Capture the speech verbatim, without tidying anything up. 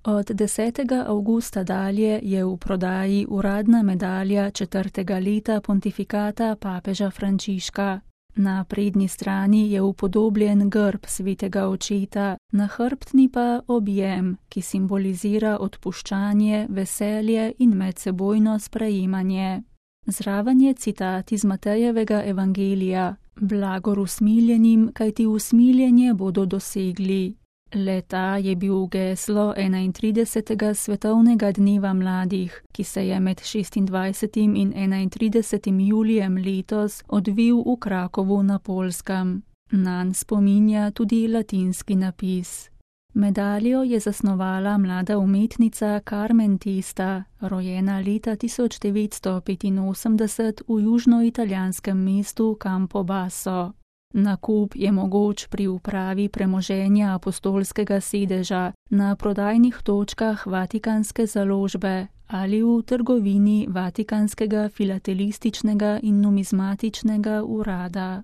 Od desetega avgusta dalje je v prodaji uradna medalja četrtega leta pontifikata papeža Frančiška. Na prednji strani je upodobljen grb svetega očeta, na hrbtni pa objem, ki simbolizira odpuščanje, veselje in medsebojno sprejemanje. Zraven je citat iz Matejevega evangelija: Blagor usmiljenim, kajti usmiljenje bodo dosegli. Le-ta je bil geslo enaintridesetega svetovnega dneva mladih, ki se je med šestindvajsetim in enaintridesetim julijem letos odvil v Krakovu na Poljskem. Nanj spominja tudi latinski napis. Medaljo je zasnovala mlada umetnica Carmen Testa, rojena leta tisoč devetsto petinosemdeset v južnoitalijanskem mestu Campobasso. Nakup je mogoč pri upravi premoženja apostolskega sedeža, na prodajnih točkah Vatikanske založbe ali v trgovini Vatikanskega filatelističnega in numizmatičnega urada.